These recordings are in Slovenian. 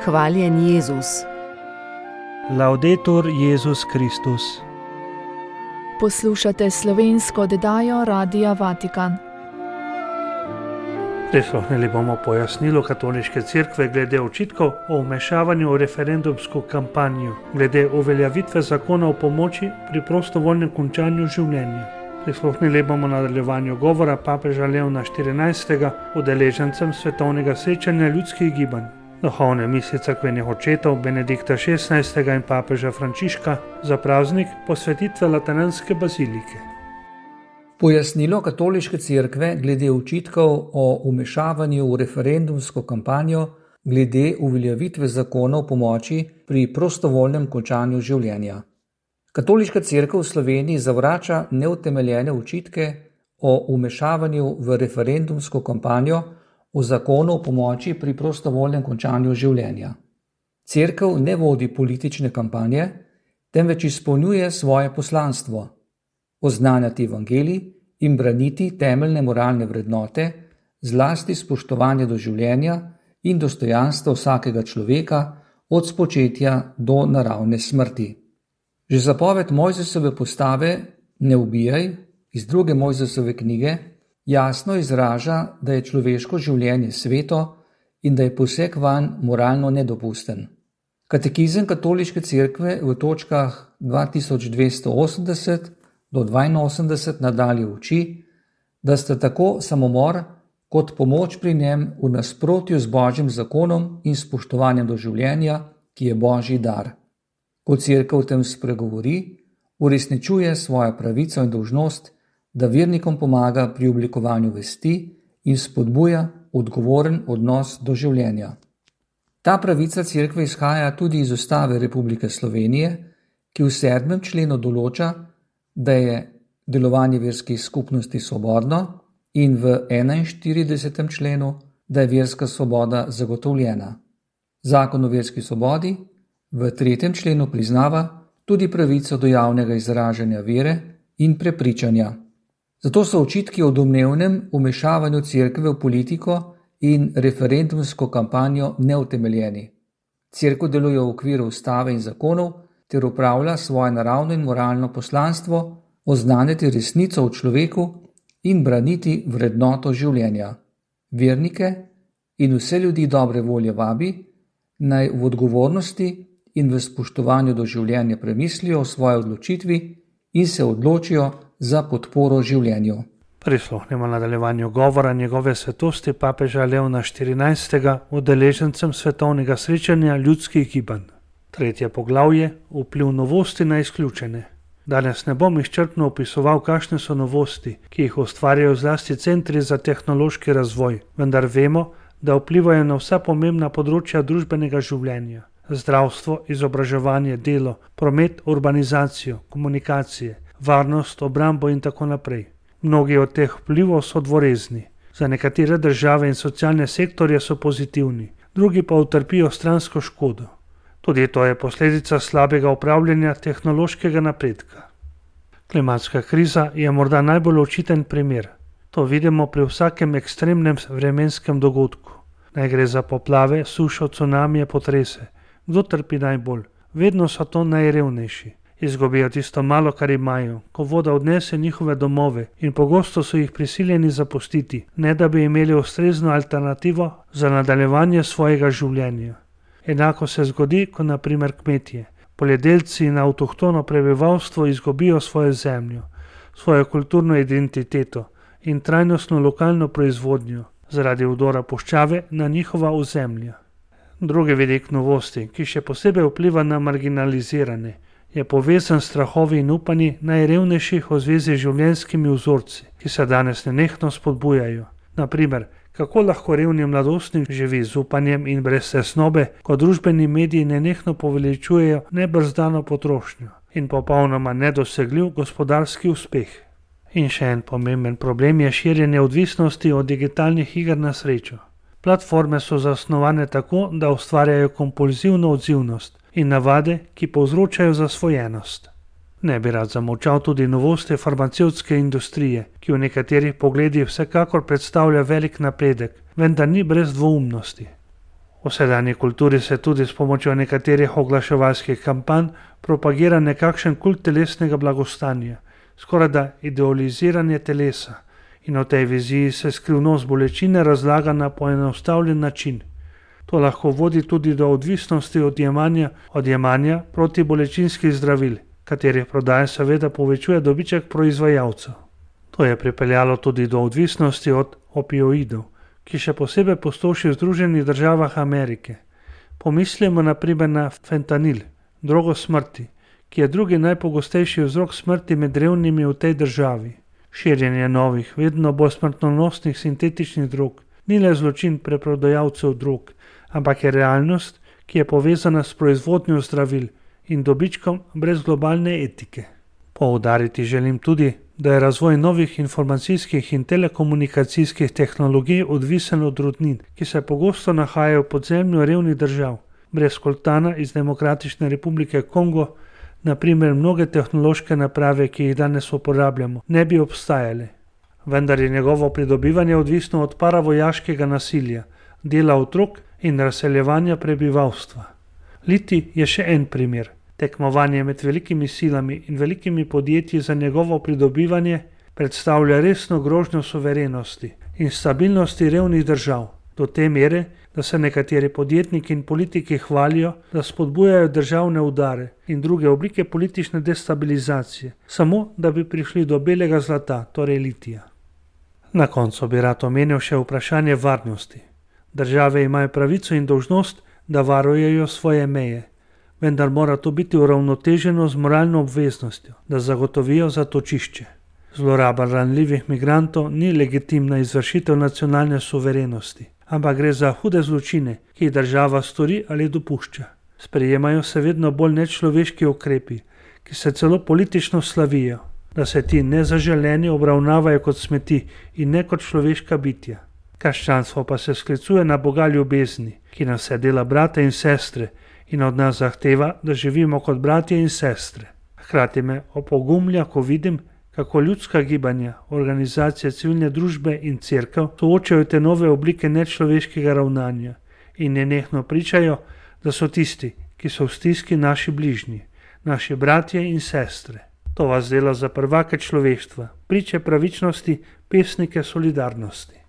Hvaljen Jezus. Laudetur Jezus Kristus. Poslušate slovensko oddajo Radia Vatikan. Prisluhnili bomo pojasnilu Katoliške cerkve glede očitkov o vmešavanju v referendumsko kampanjo, glede uveljavitve zakona o pomoči pri prostovoljnem končanju življenja. Prisluhnili bomo nadaljevanju govora papeža Leona XIV. Udeležencem svetovnega srečanja ljudskih gibanj. Duhovne misli cerkvenih očetov Benedikta XVI. In papeža Frančiška za praznik posvetitve Lateranske bazilike. Pojasnilo Katoliške cerkve glede očitkov o vmešavanju v referendumsko kampanjo glede uveljavitve zakona o pomoči pri prostovoljnem končanju življenja. Katoliška cerkev v Sloveniji zavrača neutemeljene očitke o vmešavanju v referendumsko kampanjo o zakonu o pomoči pri prostovoljnem končanju življenja. Cerkev ne vodi politične kampanje, temveč izpolnjuje svoje poslanstvo: oznanjati evangelij in braniti temeljne moralne vrednote, zlasti spoštovanje do življenja in dostojanstva vsakega človeka od spočetja do naravne smrti. Že zapoved Mojzesove postave "ne ubijaj" iz 2. Mojzesove knjige jasno izraža, da je človeško življenje sveto in da je poseg vanj moralno nedopusten. Katekizem Katoliške cerkve v točkah 2280 do 82 nadalje uči, da sta tako samomor kot pomoč pri njem v nasprotju z Božjim zakonom in spoštovanjem do življenja, ki je Božji dar. Ko cerkev o tem spregovori, uresničuje svojo pravico in dolžnost, da vernikom pomaga pri oblikovanju vesti in spodbuja odgovoren odnos do življenja. Ta pravica cerkve izhaja tudi iz Ustave Republike Slovenije, ki v 7. členu določa, da je delovanje verskih skupnosti svobodno, in v 41. členu, da je verska svoboda zagotovljena. Zakon o verski svobodi v 3. členu priznava tudi pravico do javnega izražanja vere in prepričanja. Zato so očitki o domnevnem vmešavanju cerkve v politiko in referendumsko kampanjo neutemeljeni. Cerkev deluje v okviru ustave in zakonov ter upravlja svoje naravno in moralno poslanstvo oznanjati resnico o človeku in braniti vrednoto življenja. Vernike in vse ljudi dobre volje vabi, naj v odgovornosti in v spoštovanju do življenja premislijo o svoji odločitvi in se odločijo za podporo življenju. Prisluhnimo nadaljevanju govora njegove svetosti papeža Leona XIV. Udeležencem svetovnega srečanja ljudskih gibanj. 3. poglavje: vpliv novosti na izključene. Danes ne bom izčrpno opisoval, kakšne so novosti, ki jih ustvarjajo zlasti centri za tehnološki razvoj, vendar vemo, da vplivajo na vsa pomembna področja družbenega življenja: zdravstvo, izobraževanje, delo, promet, urbanizacijo, komunikacije, varnost, obrambo in tako naprej. Mnogi od teh vplivov so dvorezni. Za nekatere države in socialne sektorje so pozitivni, drugi pa utrpijo stransko škodo. Tudi to je posledica slabega upravljanja tehnološkega napredka. Klimatska kriza je morda najbolj očiten primer. To vidimo pri vsakem ekstremnem vremenskem dogodku. Naj gre za poplave, sušo, cunamije, potrese. Kdo trpi najbolj? Vedno so to najrevnejši. Izgubijo tisto malo, kar imajo, ko voda odnese njihove domove, in pogosto so jih prisiljeni zapustiti, ne da bi imeli ustrezno alternativo za nadaljevanje svojega življenja. Enako se zgodi, ko na primer kmetje, poljedelci in avtohtono prebivalstvo izgubijo svojo zemljo, svojo kulturno identiteto in trajnostno lokalno proizvodnjo zaradi vdora puščave na njihova ozemlja. Drugi vidik novosti, ki še posebej vpliva na marginalizirane, je povezan s strahovi in upanji najrevnejših v zvezi z življenjskimi vzorci, ki se danes nenehno spodbujajo. Na primer, kako lahko revni mladostnik živi z upanjem in brez tesnobe, ko družbeni mediji nenehno poveličujejo nebrzdano potrošnjo in popolnoma nedosegljiv gospodarski uspeh. In še en pomemben problem je širjenje odvisnosti od digitalnih iger na srečo. Platforme so zasnovane tako, da ustvarjajo kompulzivno odzivnost in navade, ki povzročajo zasvojenost. Ne bi rad zamolčal tudi novosti farmacevtske industrije, ki v nekaterih pogledih vsekakor predstavlja velik napredek, vendar ni brez dvoumnosti. V sedanji kulturi se tudi s pomočjo nekaterih oglaševalskih kampanj propagira nekakšen kult telesnega blagostanja, skorajda idealiziranje telesa, in v tej viziji se skrivnost bolečine razlaga na poenostavljen način. To lahko vodi tudi do odvisnosti od jemanja protibolečinskih zdravil, katerih prodaja seveda povečuje dobiček proizvajalcev. To je pripeljalo tudi do odvisnosti od opioidov, ki še posebej pustoši v Združenih državah Amerike. Pomislimo na primer na fentanil, drogo smrti, ki je drugi najpogostejši vzrok smrti med revnimi v tej državi. Širjenje novih, vedno bolj smrtonosnih sintetičnih drog ni le zločin preprodajalcev drog, ampak je realnost, ki je povezana s proizvodnjo zdravil in dobičkom brez globalne etike. Poudariti želim tudi, da je razvoj novih informacijskih in telekomunikacijskih tehnologij odvisen od rudnin, ki se pogosto nahajajo v podzemlju revnih držav. Brez koltana iz Demokratične republike Kongo, na primer mnoge tehnološke naprave, ki jih danes uporabljamo, ne bi obstajale. Vendar je njegovo pridobivanje odvisno od paravojaškega nasilja, dela otrok in razseljevanja prebivalstva. Litij je še en primer. Tekmovanje med velikimi silami in velikimi podjetji za njegovo pridobivanje predstavlja resno grožnjo suverenosti in stabilnosti revnih držav, do te mere, da se nekateri podjetniki in politiki hvalijo, da spodbujajo državne udare in druge oblike politične destabilizacije, samo da bi prišli do belega zlata, torej litija. Na koncu bi rad omenil še vprašanje varnosti. Države imajo pravico in dolžnost, da varujejo svoje meje, vendar mora to biti uravnoteženo z moralno obveznostjo, da zagotovijo zatočišče. Zloraba ranljivih migrantov ni legitimna izvršitev nacionalne suverenosti, ampak gre za hude zločine, ki jih država stori ali dopušča. Sprejemajo se vedno bolj nečloveški ukrepi, ki se celo politično slavijo, da se ti nezaželeni obravnavajo kot smeti in ne kot človeška bitja. Krščanstvo pa se sklicuje na Boga ljubezni, ki nas vse dela brate in sestre in od nas zahteva, da živimo kot bratje in sestre. Hkrati me opogumlja, ko vidim, kako ljudska gibanja, organizacije civilne družbe in cerkev soočajo te nove oblike nečloveškega ravnanja in nenehno pričajo, da so tisti, ki so v stiski, naši bližnji, naši bratje in sestre. To vas dela za prvake človeštva, priče pravičnosti, pesnike solidarnosti.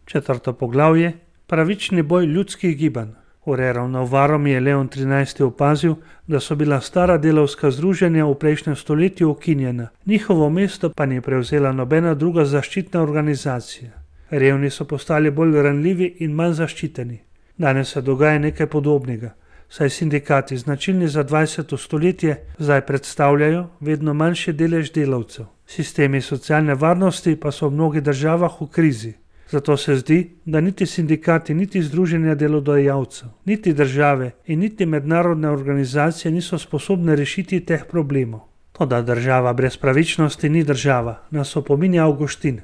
4. poglavje. Pravični boj ljudskih gibanj. V Reravnovarom je Leon XIII. Opazil, da so bila stara delavska združenja v prejšnjem stoletju ukinjena, njihovo mesto pa ni prevzela nobena druga zaščitna organizacija. Revni so postali bolj ranljivi in manj zaščiteni. Danes se dogaja nekaj podobnega, saj sindikati, značilni za 20. stoletje, zdaj predstavljajo vedno manjši delež delavcev. Sistemi socialne varnosti pa so v mnogih državah v krizi. Zato se zdi, da niti sindikati, niti združenja delodajalcev, niti države in niti mednarodne organizacije niso sposobne rešiti teh problemov. Toda država brez pravičnosti ni država, nas opominja Avguštin.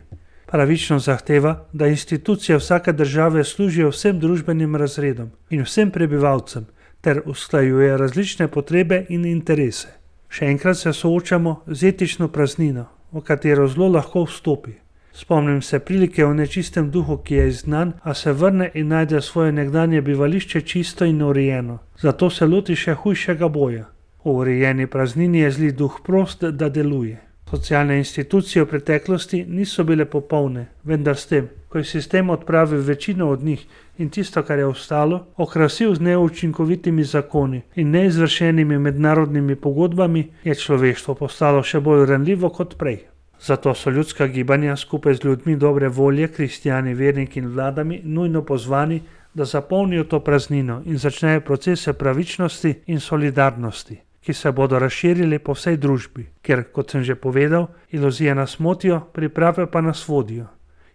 Pravičnost zahteva, da institucije vsake države služijo vsem družbenim razredom in vsem prebivalcem ter usklajuje različne potrebe in interese. Še enkrat se soočamo z etično praznino, v katero zlo lahko vstopi. Spomnim se prilike o nečistem duhu, ki je izgnan, a se vrne in najde svoje nekdanje bivališče čisto in urejeno. Zato se loti še hujšega boja. V urejeni praznini je zli duh prost, da deluje. Socialne institucije v preteklosti niso bile popolne, vendar s tem, ko je sistem odpravil večino od njih in tisto, kar je ostalo, okrasil z neučinkovitimi zakoni in neizvršenimi mednarodnimi pogodbami, je človeštvo postalo še bolj ranljivo kot prej. Zato so ljudska gibanja skupaj z ljudmi dobre volje, kristjani, verniki in vladami nujno pozvani, da zapolnijo to praznino in začnejo procese pravičnosti in solidarnosti, ki se bodo razširili po vsej družbi, ker, kot sem že povedal, iluzije nas motijo, priprave pa nas vodijo.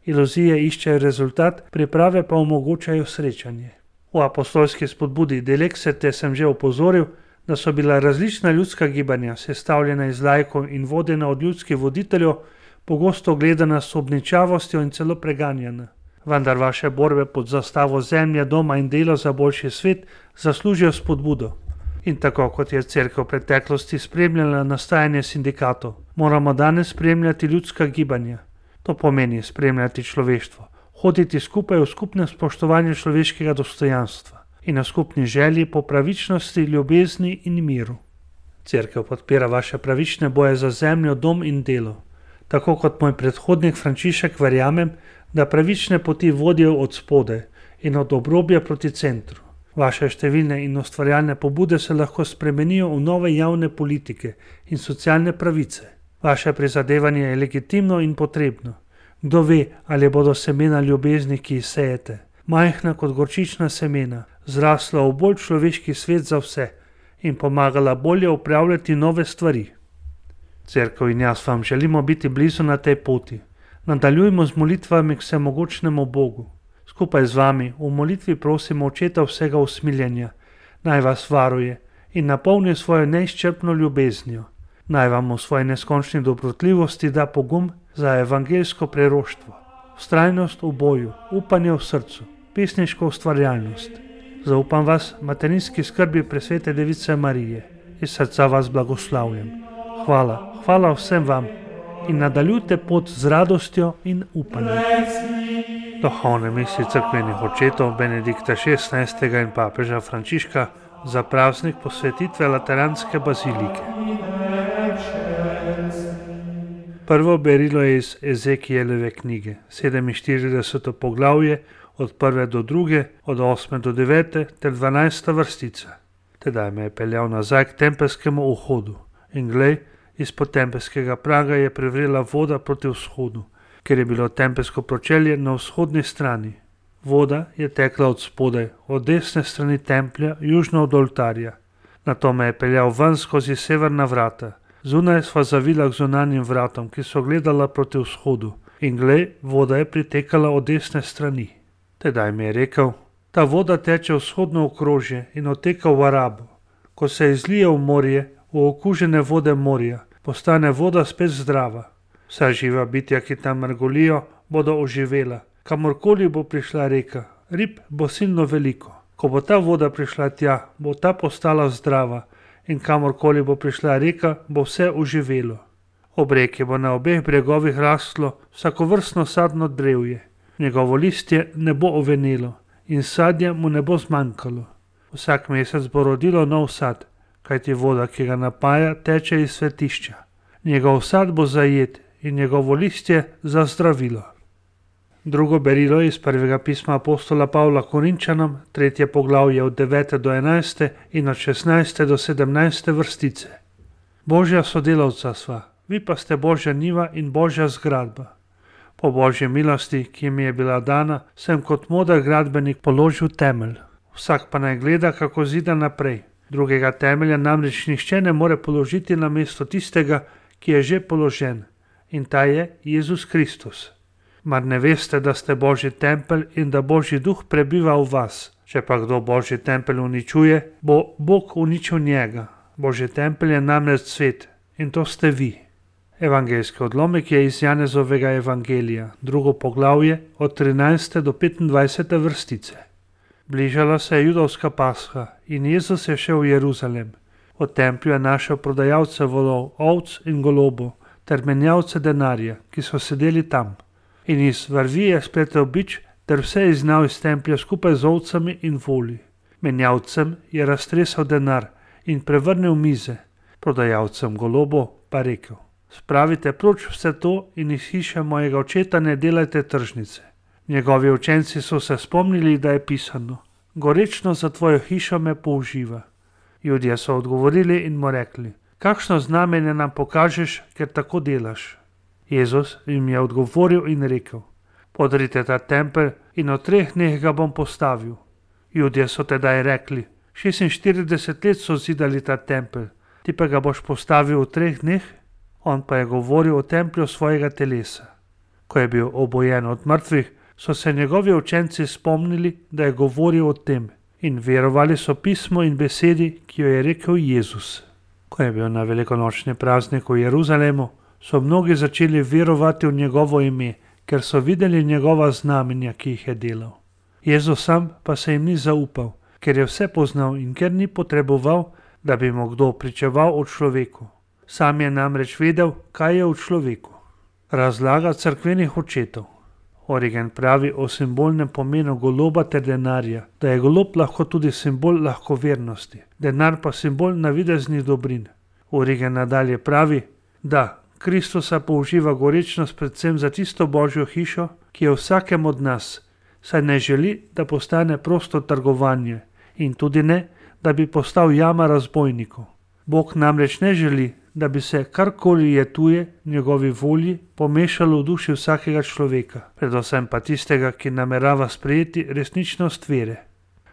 Iluzije iščejo rezultat, priprave pa omogočajo srečanje. V apostolski spodbudi Delexete sem že opozoril, da so bila različna ljudska gibanja, sestavljena iz laikov in vodena od ljudskih voditeljev, pogosto gledana s obničavostjo in celo preganjana. Vendar vaše borbe pod zastavo zemlje, doma in dela za boljši svet zaslužijo spodbudo. In tako kot je cerkev v preteklosti spremljala nastajanje sindikatov, moramo danes spremljati ljudska gibanja. To pomeni spremljati človeštvo, hoditi skupaj v skupnem spoštovanju človeškega dostojanstva, in o skupni želji po pravičnosti, ljubezni in miru. Cerkev podpira vaše pravične boje za zemljo, dom in delo. Tako kot moj predhodnik Frančišek verjamem, da pravične poti vodijo od spodaj in od obrobja proti centru. Vaše številne in ustvarjalne pobude se lahko spremenijo v nove javne politike in socialne pravice. Vaše prizadevanje je legitimno in potrebno. Kdo ve, ali bodo semena ljubezni, ki jih sejete, majhna kot gorčična semena, zrasla v bolj človeški svet za vse in pomagala bolje upravljati nove stvari. Cerkev in jaz vam želimo biti blizu na tej poti. Nadaljujmo z molitvami k vsemogočnemu Bogu. Skupaj z vami v molitvi prosimo Očeta vsega usmiljenja, naj vas varuje in napolni svojo neizčrpno ljubeznijo. Naj vam v svoji neskončni dobrotljivosti da pogum za evangeljsko preroštvo, vztrajnost v boju, upanje v srcu, pesniško ustvarjalnost. Zaupam vas materinski skrbi presvete Device Marije. Iz srca vas blagoslavljam. Hvala vsem vam in nadaljujte pot z radostjo in upanjem. Duhovne misli cerkvenih očetov Benedikta XVI. In papeža Frančiška za praznik posvetitve Lateranske bazilike. Prvo berilo je iz Ezekijelove knjige, 47. poglavje, od 1. do 2., od 8. do 9. ter 12. vrstica. Tedaj me je peljal nazaj k tempelskemu vhodu in glej, izpod tempelskega praga je privrela voda proti vzhodu, ker je bilo tempelsko pročelje na vzhodni strani. Voda je tekla od spodaj, od desne strani templja, južno od oltarja. Nato me je peljal ven skozi severna vrata. Zunaj sva zavila k zunanjim vratom, ki so gledala proti vzhodu, in glej, voda je pritekala od desne strani. Tedaj mi je rekel, ta voda teče vzhodno okrožje in oteka v Arabo. Ko se izlije v morje, v okužene vode morja, postane voda spet zdrava. Vsa živa bitja, ki tam mrgolijo, bodo oživela. Kamorkoli bo prišla reka, rib bo silno veliko. Ko bo ta voda prišla tja, bo ta postala zdrava in kamorkoli bo prišla reka, bo vse oživelo. Ob reki bo na obeh bregovih rastlo vsakovrstno sadno drevje. Njegovo listje ne bo ovenelo in sadja mu ne bo zmanjkalo. Vsak mesec bo rodilo nov sad, kajti voda, ki ga napaja, teče iz svetišča. Njegov sad bo zajet in njegovo listje za zdravilo. Drugo berilo iz prvega pisma apostola Pavla Korinčanom, 3. poglavje od 9. do 11. in od 16. do 17. vrstice. Božja sodelavca sva, vi pa ste Božja njiva in Božja zgradba. Po Božji milosti, ki mi je bila dana, sem kot moder gradbenik položil temelj. Vsak pa naj gleda, kako zida naprej. Drugega temelja namreč nihče ne more položiti na mesto tistega, ki je že položen, in ta je Jezus Kristus. Mar ne veste, da ste Božji tempelj in da Božji duh prebiva v vas? Če pa kdo Božji tempelj uničuje, bo Bog uničil njega. Božji tempelj je namreč svet in to ste vi. Evangeljski odlomek je iz Janezovega evangelija, 2. poglavje od 13. do 25. vrstice. Bližala se je judovska pasha in Jezus je šel v Jeruzalem. V templju je našel prodajalce volov, ovc in golobov ter menjavce denarja, ki so sedeli tam. In iz vrvi je spletel bič ter vse izgnal iz templja skupaj z ovcami in voli. Menjavcem je raztresal denar in prevrnil mize, prodajalcem golobov pa rekel: Spravite proč vse to in iz hiše mojega očeta ne delajte tržnice. Njegovi učenci so se spomnili, da je pisano: Gorečno za tvojo hišo me použiva. Judje so odgovorili in mu rekli: Kakšno znamenje nam pokažeš, ker tako delaš? Jezus jim je odgovoril in rekel: Podrite ta tempelj in v 3 dneh ga bom postavil. Judje so tedaj rekli: 46 let so zidali ta tempelj, ti pa ga boš postavil v 3 dneh? On pa je govoril o templju svojega telesa. Ko je bil obojen od mrtvih, so se njegovi učenci spomnili, da je govoril o tem, in verovali so pismu in besedi, ki jo je rekel Jezus. Ko je bil na velikonočni praznik v Jeruzalemu, so mnogi začeli verovati v njegovo ime, ker so videli njegova znamenja, ki jih je delal. Jezus sam pa se jim ni zaupal, ker je vse poznal in ker ni potreboval, da bi mu kdo pričeval o človeku. Sam je namreč vedel, kaj je v človeku. Razlaga cerkvenih očetov. Origen pravi o simbolnem pomenu goloba ter denarja, da je golob lahko tudi simbol lahkovernosti, denar pa simbol navideznih dobrin. Origen nadalje pravi, da Kristusa použiva gorečnost predvsem za tisto božjo hišo, ki je vsakem od nas, saj ne želi, da postane prosto trgovanje in tudi ne, da bi postal jama razbojnikov. Bog namreč ne želi, da bi se karkoli je tuje njegovi volji pomešalo v duši vsakega človeka, predvsem pa tistega, ki namerava sprejeti resničnost vere.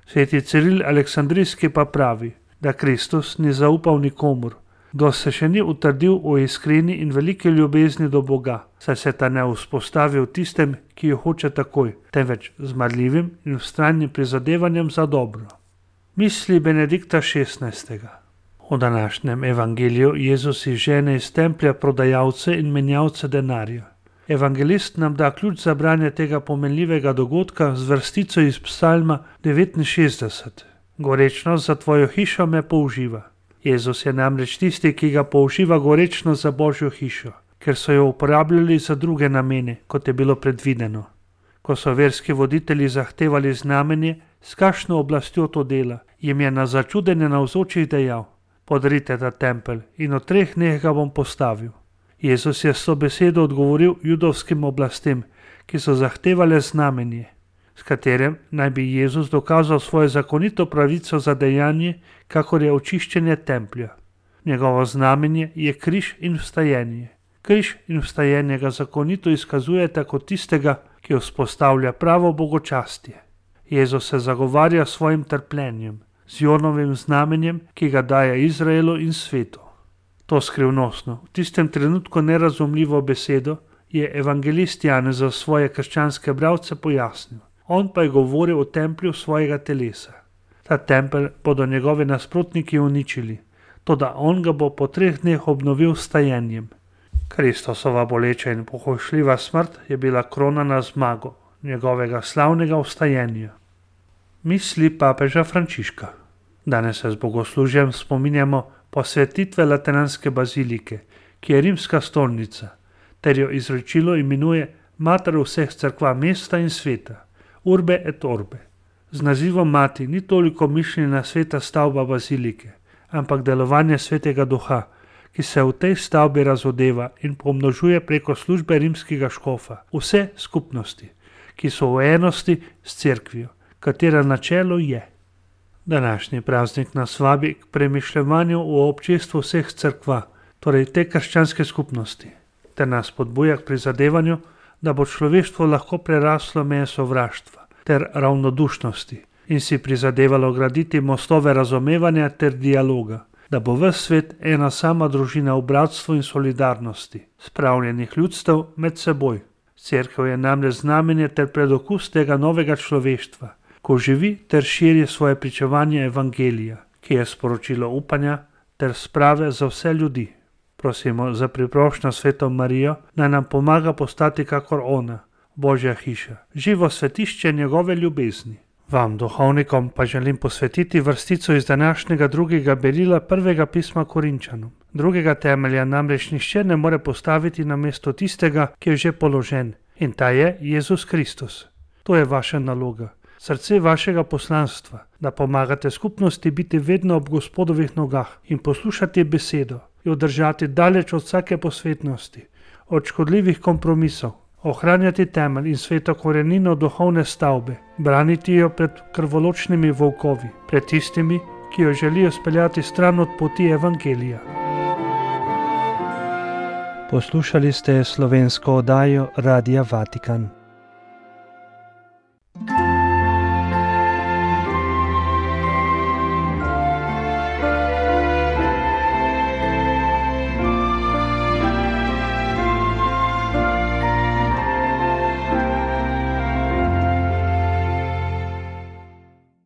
Sveti Ciril Aleksandrijski pa pravi, da Kristus ni zaupal nikomur, kdo se še ni utrdil o iskreni in veliki ljubezni do Boga, saj se ta ne vzpostavi v tistem, ki jo hoče takoj, temveč z marljivim in vztrajnim prizadevanjem za dobro. Misli Benedikta XVI. V današnjem evangeliju Jezus izžene iz templja prodajalce in menjalce denarja. Evangelist nam da ključ za branje tega pomenljivega dogodka z vrstico iz Psalma 69. Gorečnost za tvojo hišo me použiva. Jezus je namreč tisti, ki ga použiva gorečnost za božjo hišo, ker so jo uporabljali za druge namene, kot je bilo predvideno. Ko so verski voditelji zahtevali znamenje, s kakšno oblastjo to dela, jim je na začudenje navzočih dejal: Podarite ta tempelj in v 3 dneh ga bom postavil. Jezus je s to besedo odgovoril judovskim oblastem, ki so zahtevale znamenje, s katerim naj bi Jezus dokazal svojo zakonito pravico za dejanje, kakor je očiščenje templja. Njegovo znamenje je križ in vstajenje. Križ in vstajenje ga zakonito izkazujeta kot tistega, ki vzpostavlja pravo bogočastje. Jezus se zagovarja s svojim trpljenjem, z Jonovim znamenjem, ki ga daje Izraelu in svetu. To skrivnostno, v tistem trenutku nerazumljivo besedo je evangelist Janez za svoje krščanske bralce pojasnil. On pa je govoril o templju svojega telesa. Ta tempelj bodo njegovi nasprotniki uničili, toda on ga bo po 3 dneh obnovil s vstajenjem. Kristusova boleča in pohojšljiva smrt je bila krona na zmago njegovega slavnega vstajenja. Misli papeža Frančiška. Danes se z bogoslužjem spominjamo posvetitve Lateranske bazilike, ki je rimska stolnica, ter jo izročilo imenuje mater vseh cerkva mesta in sveta, Urbe et Orbe. Z nazivom mati ni toliko mišljena sveta stavba bazilike, ampak delovanje svetega duha, ki se v tej stavbi razodeva in pomnožuje preko službe rimskega škofa, vse skupnosti, ki so v enosti s cerkvijo, katera načelo je. Današnji praznik nas vabi k premišljevanju o občestvu vseh cerkva, torej te krščanske skupnosti, ter nas podbuja k prizadevanju, da bo človeštvo lahko preraslo meje sovraštva ter ravnodušnosti in si prizadevalo graditi mostove razumevanja ter dialoga, da bo ves svet ena sama družina v bratstvu in solidarnosti, spravljenih ljudstev med seboj. Cerkev je namreč znamenje ter predokus tega novega človeštva, ko živi ter širi svoje pričevanje evangelija, ki je sporočilo upanja ter sprave za vse ljudi. Prosimo za priprošnjo Sveto Marijo, naj nam pomaga postati kakor ona, Božja hiša, živo svetišče njegove ljubezni. Vam, duhovnikom, pa želim posvetiti vrstico iz današnjega 2. berila 1. pisma Korinčanom. Drugega temelja namreč nihče ne more postaviti na mesto tistega, ki je že položen, in ta je Jezus Kristus. To je vaša naloga, srce vašega poslanstva, da pomagate skupnosti biti vedno ob Gospodovih nogah in poslušati besedo, jo držati daleč od vsake posvetnosti, od škodljivih kompromisov, ohranjati temelj in sveto korenino duhovne stavbe, braniti jo pred krvoločnimi volkovi, pred tistimi, ki jo želijo speljati stran od poti evangelija. Poslušali ste slovensko oddajo Radia Vatikan.